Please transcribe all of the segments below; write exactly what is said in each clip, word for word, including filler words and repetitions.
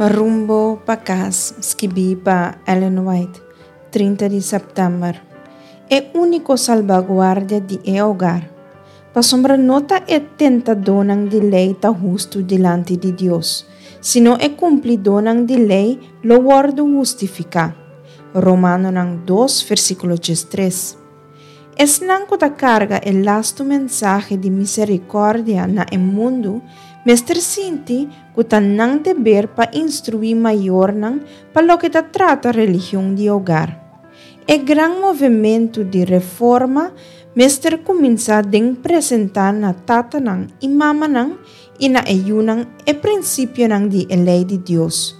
Rumbo pa Kas, skibí pa Ellen White, trinta di sèptèmber. E úniko salbaguardia di e hogar. Pasobra no ta e tentadónan di lei ta hustu dilanti di Dios, sino e kumplidónan di lei lo wòrdu hustifiká. Romanonan dos, versíkulo diestres. Esnan ku ta karga e lastu mensahe di miserikòrdia na e mundu mester sinti ku ta nan deber pa instruí mayornan pa loke ta trata religion di hogar. E gran movementu di reforma mester kuminsá den presentá na tatanan i mamanan i na e yunan e prinsipionan di e lei di Dios.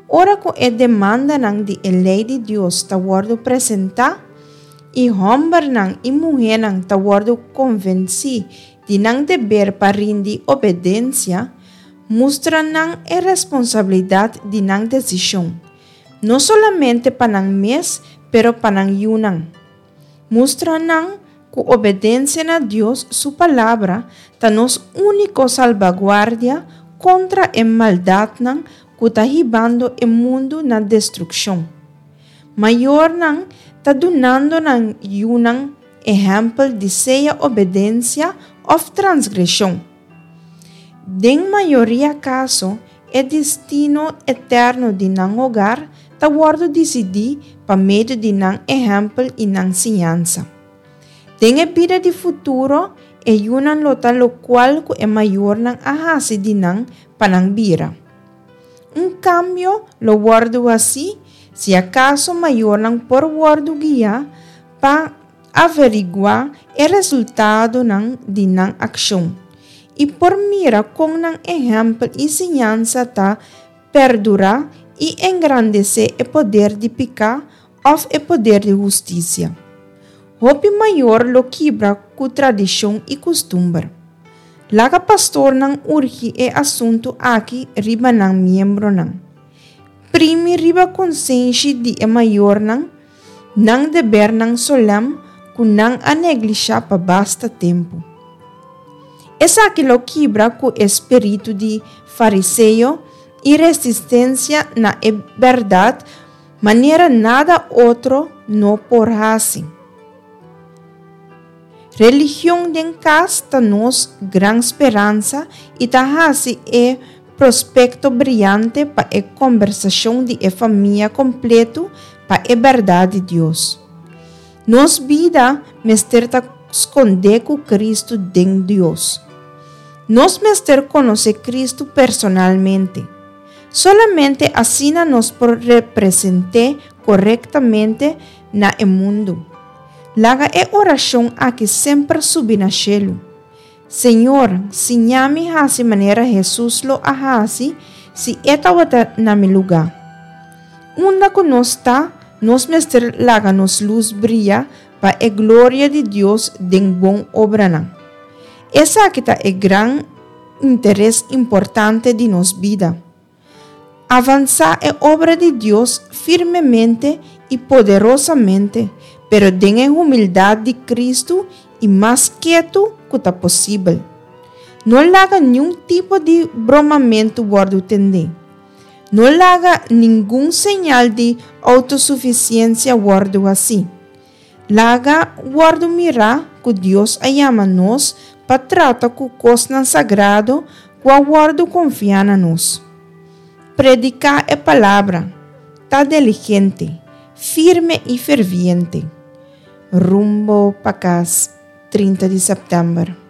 Ora ku e demandanan di e lei di Dios ta wòrdu presentá, i hòmbernan i muhénan ta wòrdu konvensí di nan deber pa rindi obedensia, mustra nan e responsabilidat di nan desishon, no solamente pa nan mes, pero pa nan yunan. Mustra nan ku obedensia na Dios su Palabra ta nos úniko salbaguardia kontra e maldatnan ku ta hibando e mundu na destrukshon. Mayornan ta dunando nan yunan ehèmpel di sea obedensia òf transgreshon. Den mayoria kaso, e destino eterno di nan hogar ta wòrdu disidí pa medio di nan ehèmpel i nan siñansa. Den e bida di futuro, e yunan lo ta lokual ku e mayornan a hasi di nan pa nan bira. Un kambio lo wòrdu hasí si akaso mayornan por wòrdu guiá pa averiguá e resultadonan di nan akshon i por mira kon nan ehèmpel i siñansa ta perdurá i engrandesé e poder di piká òf e poder di hustisia. Hopi mayor lo kibra ku tradishon i kustumber. Laga pastornan urgi e asuntu aki riba nan miembronan. Primi riba konsenshi di e mayornan nan debernan solèm ku nan a neglishá pa basta tempu. Esaki lo kibra ku e spiritu di fariseo i resistensia na e bèrdat manera nada otro no por hasi. Religion den kas ta nos gran speransa i ta hasi e prospekto briante pa e kombersashon di e famia kompleto pa e bèrdat di Dios. Nos bida mester ta skondé ku Kristu den Dios. Nos mester konosé Kristu personalmente. Solamente asina nos por represent'é korektamente na e mundu. Laga e orashon aki semper subi na shelu. Señor, siña mi hasi manera Hesus lo a hasi si e tabata na mi lugá. Unda ku nos ta, nos mester laga nos lus bria pa e gloria di Dios den bon obranan. Esaki ta e gran interes importante di nos bida. Avansá e obra di Dios firmemente i poderosamente, pero den e humildat di Kristu i mas ketu ku ta posibel. No laga niun tipo di bromamentu wòrdu tendé. No laga ningun señal di outosufisiensia wòrdu hasí. Laga wòrdu mirá ku Dios a yama nos pa trata ku kosnan sagrado ku a wòrdu konfiá na nos. Prediká e palabra, ta diligente, firme i ferviente. Rumbo pa Kas, trinta di sèptèmber.